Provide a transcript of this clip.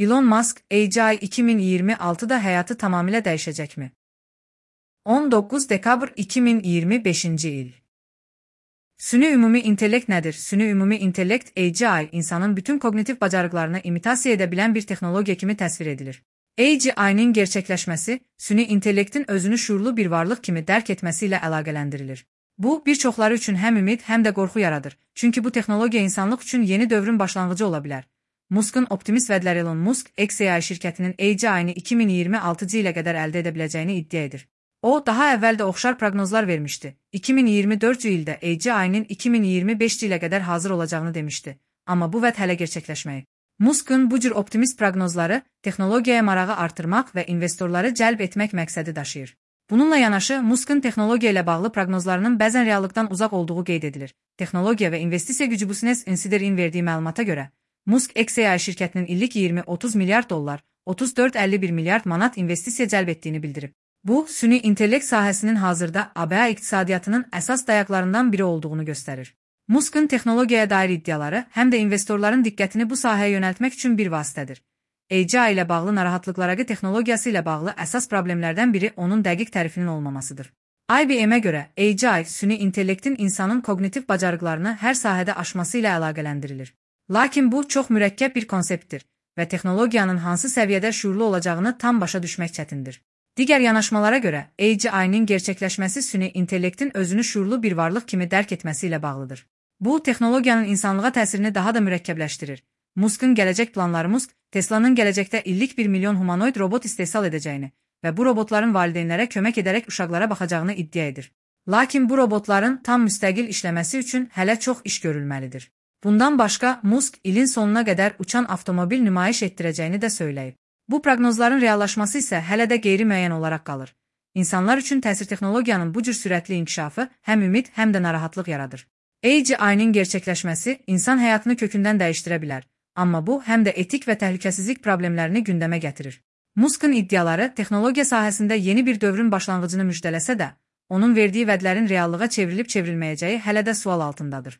Elon Musk, AGI 2026'da həyatı tamamilə dəyişəcəkmi? 19 dekabr 2025-ci il. Süni ümumi intellekt nədir? Süni ümumi intellekt, AGI, insanın bütün kognitiv bacarıqlarını imitasiya edə bilən bir texnologiya kimi təsvir edilir. AGI-nin gerçəkləşməsi, süni intellektin özünü şuurlu bir varlıq kimi dərk etməsi ilə əlaqələndirilir. Bu, bir çoxları üçün həm ümid, həm də qorxu yaradır. Çünki bu texnologiya insanlıq üçün yeni dövrün başlanğıcı ola bilər. Musk'ın optimist vədləri Elon Musk, xAI şirkətinin AGI-ni 2026-cı ilə qədər əldə edə biləcəyini iddia edir. O, daha əvvəl də oxşar proqnozlar vermişdi. 2024-cü ildə AGI-nin 2025-ci ilə qədər hazır olacağını demişdi. Amma bu vəd hələ gerçəkləşməyib. Musk'ın bu cür optimist proqnozları texnologiyaya marağı artırmaq və investorları cəlb etmək məqsədi daşıyır. Bununla yanaşı, Musk'ın texnologiya ilə bağlı proqnozlarının bəzən reallıqdan uzaq olduğu qeyd edilir. Texnologiya və investisiya gücü Business Insider'in verdiyi məlumata görə, Musk xAI şirkətinin illik 20-30 milyard dollar, 34-51 milyard manat investisiya cəlb etdiyini bildirib. Bu, süni intellekt sahəsinin hazırda ABA iqtisadiyyatının əsas dayaqlarından biri olduğunu göstərir. Musk'ın texnologiyaya dair iddiaları həm də investorların diqqətini bu sahəyə yönəltmək üçün bir vasitədir. AGI ilə bağlı narahatlıqlara texnologiyası ilə bağlı əsas problemlərdən biri onun dəqiq tərifinin olmamasıdır. IBM-ə görə AGI, süni intellektin insanın kognitiv bacarıqlarını hər sahədə aşması ilə əlaqələndirilir. Lakin bu, çox mürəkkəb bir konseptdir və texnologiyanın hansı səviyyədə şuurlu olacağını tam başa düşmək çətindir. Digər yanaşmalara görə, AGI-nin gerçəkləşməsi süni intellektin özünü şuurlu bir varlıq kimi dərk etməsi ilə bağlıdır. Bu, texnologiyanın insanlığa təsirini daha da mürəkkəbləşdirir. Musk'ın gələcək planları Musk, Tesla'nın gələcəkdə illik 1 milyon humanoid robot istehsal edəcəyini və bu robotların valideynlərə kömək edərək uşaqlara baxacağını iddia edir. Lakin bu robotların tam müstəqil işləməsi üçün hələ çox iş görülməlidir. Bundan başqa, Musk ilin sonuna qədər uçan avtomobil nümayiş etdirəcəyini də söyləyib. Bu proqnozların reallaşması isə hələ də qeyri-müəyyən olaraq qalır. İnsanlar üçün təsir texnologiyanın bu cür sürətli inkişafı həm ümid, həm də narahatlıq yaradır. AGI-nin gerçəkləşməsi insan həyatını kökündən dəyişdirə bilər, amma bu, həm də etik və təhlükəsizlik problemlərini gündəmə gətirir. Musk'ın iddiaları texnologiya sahəsində yeni bir dövrün başlanğıcını müjdələsə də, onun verdiyi vədlərin reallığa çevrilib-çevrilməyəcəyi hələ də sual altındadır.